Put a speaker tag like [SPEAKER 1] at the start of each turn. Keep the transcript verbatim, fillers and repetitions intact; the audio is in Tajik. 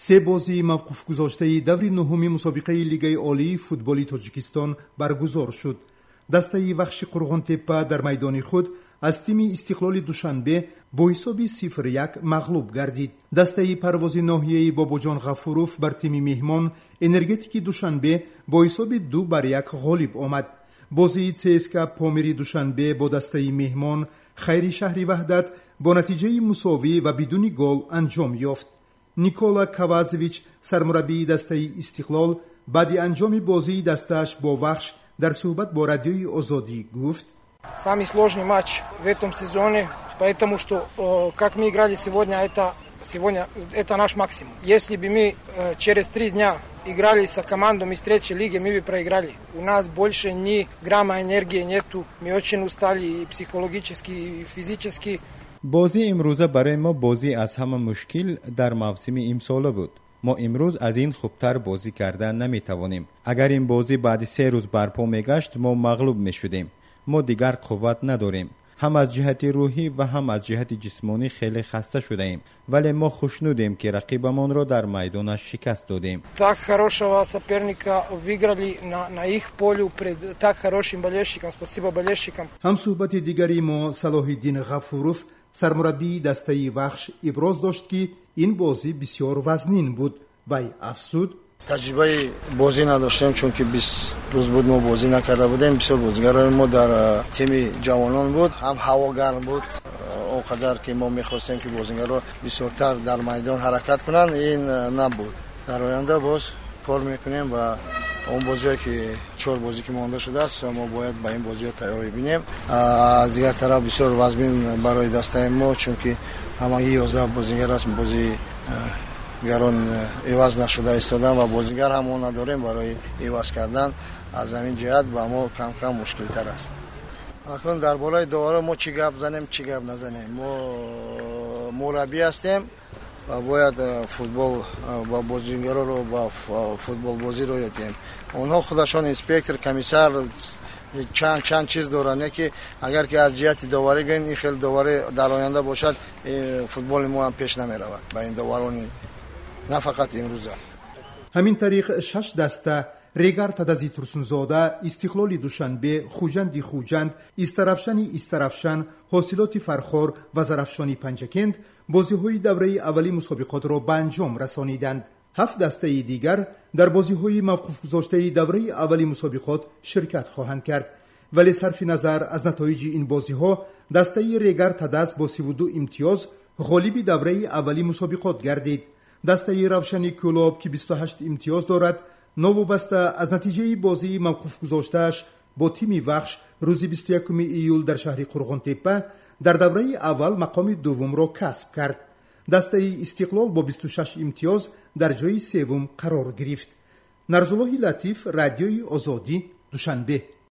[SPEAKER 1] Се бозии мавқуфгузоштаи даври нуҳуми мусобиқаи Лигаи Олии футболи Тоҷикистон баргузор шуд. Дастаи Вахши Қурғонтеппа дар майдони худ аз тими Истиқлоли Душанбе бо ҳисоби сифр як мағлуб гардид. Дастаи Парвози ноҳияи Бобоҷон Ғафуров бар тими меҳмон Энергетики Душанбе бо ҳисоби ду бар як ғолиб омад. Бозии ЦСКА Помири Душанбе бо дастаи меҳмон Хайри шаҳри Ваҳдат бо натиҷаи мусовӣ ва бидуни гол анҷом ёфт. Никола Кавазович, сармураббии дастаи Истиқлол, баъди анҷоми бозии дастааш бо Вахш дар суҳбат бо Радиои Озодӣ гуфт:
[SPEAKER 2] Самый сложный матч в этом сезоне, потому что как мы играли сегодня, это сегодня это наш максимум. Если бы мы через три дня играли с командой из третьей лиги, мы бы проиграли. У нас больше ни грамма энергии нету, мы очень устали и психологически, и физически.
[SPEAKER 3] Бозии имрӯза барои мо бозӣ аз ҳама мушкил дар мавсими имсола буд. Мо имрӯз аз ин хубтар бозӣ карда наметавонем. Агар ин бозӣ баъди се рӯз барпо мегашт, мо мағлуб мешудем. Мо дигар қувват надорем. Ҳам аз ҷиҳати рӯҳӣ ва ҳам аз ҷиҳати ҷисмонӣ хеле хаста шудаем, вале мо хушнудем, ки рақибамонро дар майдонаш шикаст додем.
[SPEAKER 2] Так хорошего соперника выиграли на, на их полю пред так хорошим болельщикам. Спасибо болельщикам.
[SPEAKER 1] Ҳамсуҳбати дигари мо Салоҳиддин Ғафуров, сармураббии дастаи Вахш, иброз дошт, ки ин бозӣ бисёр вазнин буд. Вай афзуд:
[SPEAKER 4] Таҷрибаи бозӣ надоштем, чунки бист рӯз буд, мо бозӣ накарда будем. Бисёр бозигарони мо дар тими ҷавонон буд, ҳам ҳаво гарм буд. Он қадар ки мо мехостем, ки бозигаро бисёртар дар майдон ҳаракат кунанд, ин набуд. Дар оянда боз кор мекунем ва он бозиҳое ки чор бозӣ ки монда шудааст, мо бояд ба ин бозиҳо тайёрӣ бинем. Аз дигар тараф, бисёр вазмин барои дастаи мо, чунки ҳамагӣ ёздаҳ бозингар аст, бозигарон иваз нашуда истодан ва бозингар ҳам мо надорем барои иваз кардан. Аз ҳамин ҷиҳат ба мо кам кам мушкилтар аст. Акнун дар бораи доваро мо чӣ гап занем, чӣ гап назанем? Мо мураббӣ ҳастем ва бояд футбол ба бозингароро ба футболбозиро ёд диҳем. Онҳо худашон инспектор, комиссар, чанд чанд чиз доранд. Яке агар ки аз ҷиҳати доварӣ гӯем, ин хел доварӣ дар оянда бошад, футболи мо ҳам пеш намеравад ба ин доварони на фақат имрӯза.
[SPEAKER 1] Ҳамин тариқ, шаш даста: Регар Тадази Турсунзода, Истиқлоли Душанбе, Хуҷанди Хуҷанд, Истаравшани Истаравшан, Ҳосилоти Фархор ва Зарафшони Панҷакент бозиҳои давраи аввали мусобиқотро ба анҷом расониданд. Ҳафт дастаи дигар дар бозиҳои мавқуфгузоштаи давраи аввали мусобиқот ширкат хоҳанд кард. Вале сарфи назар аз натоиҷи ин бозиҳо, дастаи Регар Тадаз бо сиву ду имтиёз ғолиби давраи аввали мусобиқот гардид. Дастаи Равшани Кӯлоб, ки бисту ҳашт имтиёз дорад, новобаста аз натиҷаи бозии мавқуфгузоштааш бо тими Вахш рӯзи бисту якуми июл дар шаҳри Қурғонтеппа, дар давраи аввал мақоми дуввумро касб кард. Дастаи Истиқлол бо бисту шаш имтиёз дар ҷои севум қарор гирифт. Нарзуллоҳи Латиф, Радиои Озодӣ, Душанбе.